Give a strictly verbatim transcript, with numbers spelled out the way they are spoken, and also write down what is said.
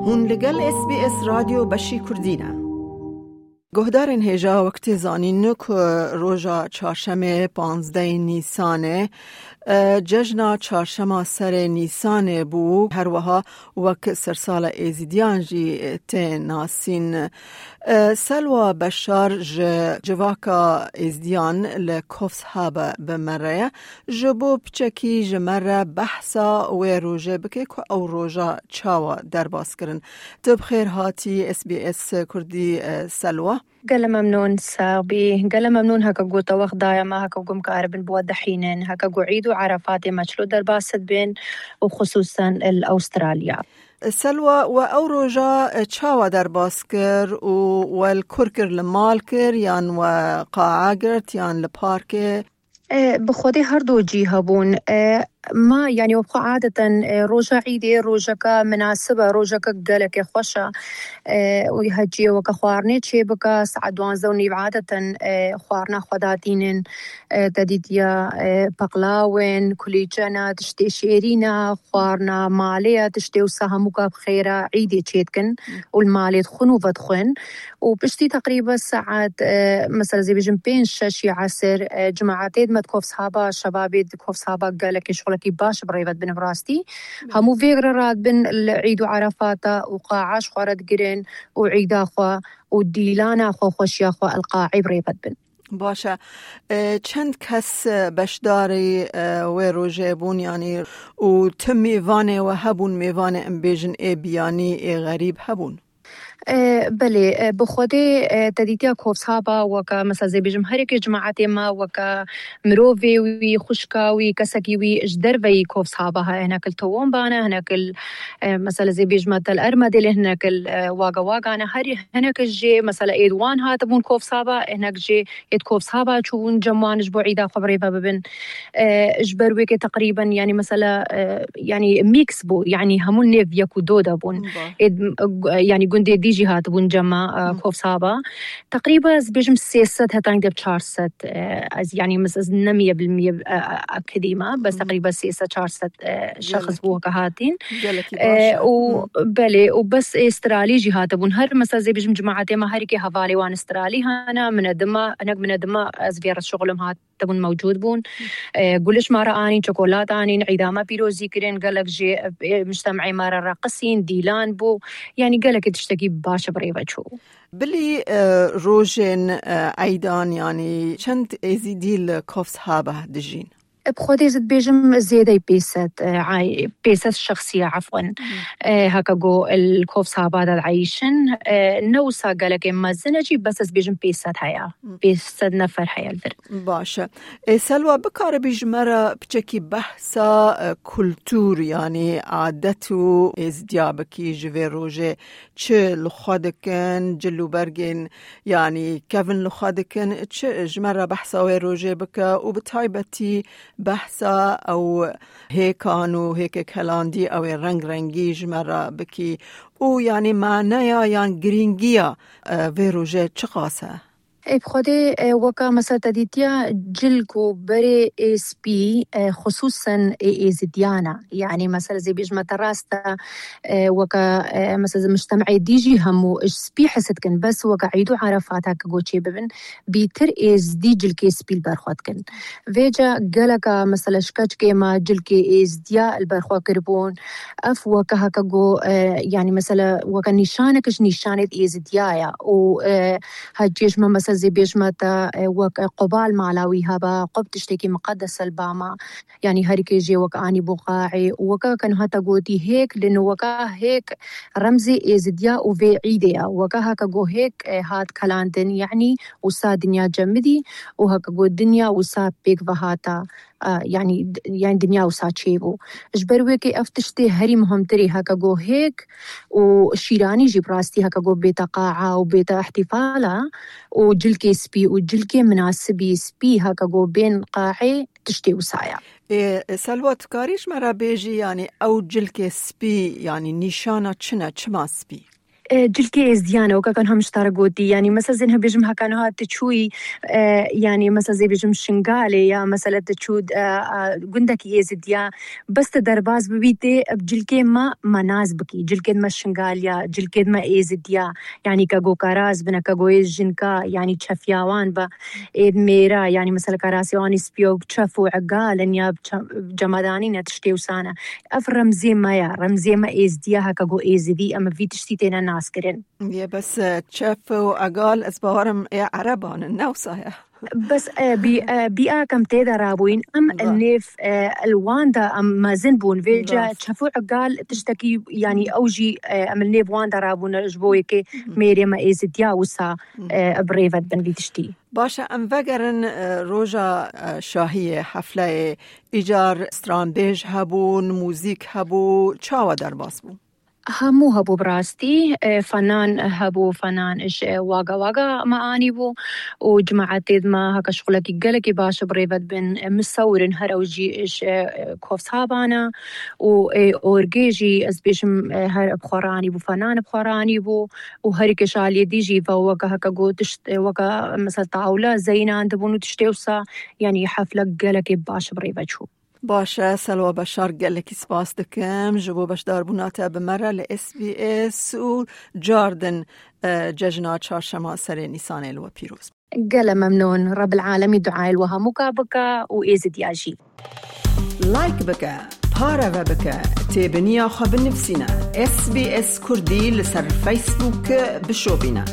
Hûn li gel S B S Radyo Beşî Kurdî ne. Guhdarên hêja, wek tê zanîn ku roja çarşemê panzdehê Nîsanê, e, cejna çarşema serê Nîsanê bû, her wiha wek sersala Êzîdiyan jî tê nasîn. E, Selwa Beşar ji civaka Êzîdiyan li Coffs Harbour bi me re ye. Ji bo piçekî ji me re behsa wê rojê bike ku ew roja çawa derbas kirin. Tu bi xêr hatî S B S Kurdî, e, Selwa. Gele memnûn, sax bî. Gele memnûn heke ku te wext daye me, heke ku em karibin bi we dihînin, heke ku Îd û Erefatê me çilo derbas dibin û xisûsen li Awustralya. Selwa, we ew roja, e, çawa derbas kir û we li kur kir, li mal kir yan we qa'a girt yan li parkê? E, bi xwedê her du cî hebûn. E, ma, yanî, wek xwe adeten, e, roja Îdê rojeke minasib e, rojeke gelekê xweş e. E, û heciyê weke xwarinê çê bike, saet duwazdeh û nîv adeten, e, xwarina xwe datînin. E, te dîtiya, e, peqlaw in, kulîçe ne, tiştê şêrîn e, xwarina malê ye, tiştê wisa hemû ka bi xêr e, Îdê çê dikin û li malê dixwin û vedixwin. û piştî teqrîben saet, e, mesela, zê bêjim pênc şeş ya esir, e, cemaetê dime di Coffs Harbour, şebabê di Coffs Harbour gelekî şixulekî baş bi rêve dibin bi rastî. Hemû vê re radibin li Îd û Erefata û qa'a ji xwe re digirin û Îda xwe û dîlana xwe, xweşiya xwe li qaê bi rêve dibin. Baş e. E, çend kes, e, beşdarî, e, wê rojê bûn, yanî, û tu mêvanê we hebûn, mêvanê, em bêjin, ê biyanî, ê xerîb hebûn? E, belê, e, bi xwedê, e, te dîtiya Coffs Harbour weke, mesela, zê bêjim, herikê cemaetê me weke mirovê wî, xwişka wî, kesekî wî ji derveyî Coffs Harbour heye, hinek li Toowoomba ne, hinek li, e, mesela, zê bêjim, te li Ermedê lê, hinek li, e, Wagga Wagga ne, herî hinek jê, mesela, êd wan hatibûn Coffs Harbour, hinek jê êd Coffs Harbour çûbûn cem wan ji bo Îda xwe bi rêve bibin. E, ji ber wê ke teqrîben, yanî, mesela, e, yanî mîks bû, yanî hemû nêv yek û do de bûn. Ba. Ê, m-, gu-, yanî gundê dî jî hatibûn cema, e, Hı. Coffs Harbour. Teqrîben ez bêjim sê sed heta êdî çar sed, e, ez, yanî, mis-, ez nemiye bilmiye, e, e, akidî me, bes Hı. teqrîben sê sed çar sed, e, şexs Gelekî. bû ke hatîn. Gelekî E, baş e. û Hı. belê, û bes ê stralî jî hatibûn. Her, mesela, zê bêjim cemaetê me herikê hevalê wan stralî hene, minedima, hinek minedima ez vê re şixulim hat. Tebûn mewcûd bûn. E, guliş ma re anîn, çokolat anîn, Îda me pîrozî kirin, gelek jê, e, mujtemê ma re reqisîn, dîlan bû. Yanî gelekî tiştekî baş bi rêve çû. Bilî, e, rojên, e, eydan, yanî çend Êzîdî li Coffs Harbour dijîn? E, bi xwedê ez dibêjim zêdeyî pênc sed, e, ay-, pênc sed şexsiye, efwen. Hmm. E, heke go li Coffs Harbour de dieyşin, e, ne wisa gelekê mezin e jî, bes ez bêjim pênc sed heye. Hmm. Pênc sed nefer heye li vir. Baş e. Ê Selwa, bikaribî ji me re piçekî behsa, e, kultûr, yanî adet û êzdiya bikî ji vê rojê, çi li xwe dikin, cil û bergên, yanî kevin li xwe dikin, çi ji me re behsa wê rojê bike û bi taybetî behsa ew hêkan û hêkê kelandî ew ê reng rengî ji me re bikî û, yanî, maneya yan girîngiya, e, vê rojê çiqas e? Ê, bi xwedê, e, weka mesela te dîtiya cilk û berê ê spî, e, xisûsen ê êzidiyan e. Yanî mesela zê bêjme te rast e, e, weka, e, mesela mujtemê dî jî hemû ji spî hez dikin, bes weka Îd û Erefat heke go çê bibin, bîtir êzidî cilkê spî li ber xwe dikin. Vêca geleka mesela ji keçikê me cilkê êzidiya li ber xwe kiribûn. Ev weke heke go, e, yanî mesela weke nîşanek ji nîşanê êzidiya ye û, e, Heciyê ji me mesela zê bêjme te, e, wek, e, qubal mala wî hebe, qub tiştekî miqedes e li ba me. Yanî herikê jê wek anî bû qaê û weke ke niha te gotî hêk, li niha weke hêk remzê êzidiya û vê îdê ye. Weke heke go hêk, e, hat kelandin, yanî wisa dinya cemidî û heke go dinya wisa pêk ve hata, e, yanî, yanî dinya wisa çêbû. Ji ber wê ke ev tiştê herî muhimtirî heke go hêk û şîranî jî bi rastî heke go bête qa'a û bête îhtîfala û cilkê spî û cilkê minasibî spî heke go bên qaê tiştê wisa ye. Ê, Selwa, tu karî ji me re bêjî, yanî ew cilkê spî, yanî nîşana çi ne, çima spî? E, cilkê êzdiyan e, weke kan hem ji te re gotî. Yanî, mesela zên hebêjim heka niha tu çûyî, e, yanî, mesela zê bêjim Şingalê ya, mesela tu çû, e, e, gundekî êzidiya, bes tu derbas bibî tê, ev cilkê me, me nas bikî. Cilkê me Şingaliya, cilkê me êzidiya. Yanî, ke go karaz bine, ke go êz jinka, yanî, çefiyawan be. Êd mêra, yanî, mesela karasê wan î spiyo, çef û egal in ya çe-, cemadanî ne tiştê wisa ne. Ev remzê me ye, remzê me êzdiya heke go êzidî, em vî tiştî têne naskirin. Yê bes, e, çef û egal, ez bawerim ê ereban in, ne wisa ye. Bes, e, bî, e, bî a kem tê de rabûyîn, em Ba. el nêv, e, el wan de em mezin bûn. Vêce Rast. çef û egal tiştekî, yanî ew jî, e, em el nêv wan de rabûne ji bo yekê Mhm. mêrê me êzidiya wisa, Mhm. e, bi rêve dibin vî tiştî. Baş e, em vegerin, e, roja, e, şahiyê, hefleyê, îcar stranbêj hebûn, muzîk hebû, çawa derbas bû? Hemû hebû bi rastî, e, fenan hebû, fenan ji Waga Waga me anî bû û cemaetê me heke şixulekî gelekî baş bi rêve dibin, e, misewirin her ew jî ji, e, Kovsabana û, e, orgê jî ez bêjim, e, her bi xwe re anî bû, fenan bi xwe re anî bû û herî ke ji aliyê dî jî ve weke heke got tişt, e, weke mesela tawla zeynan dibûn û tiştê wisa, yanî hefle gelekê baş bi rêve çû. Baş e, Selwa Beşar, gelekî spas dikim ji bo beşdarbûna te bi me re li S B S û cardin, e, cejna çarşema serê Nîsanê li we pîroz. Gele memnûn. Rebil Alemî duayê li we hemûka bike û êzidiya jî. Like bike, pareve bike, têbiniya xwe binivîsîne. S B S Kurdî li ser Facebook bişopîne.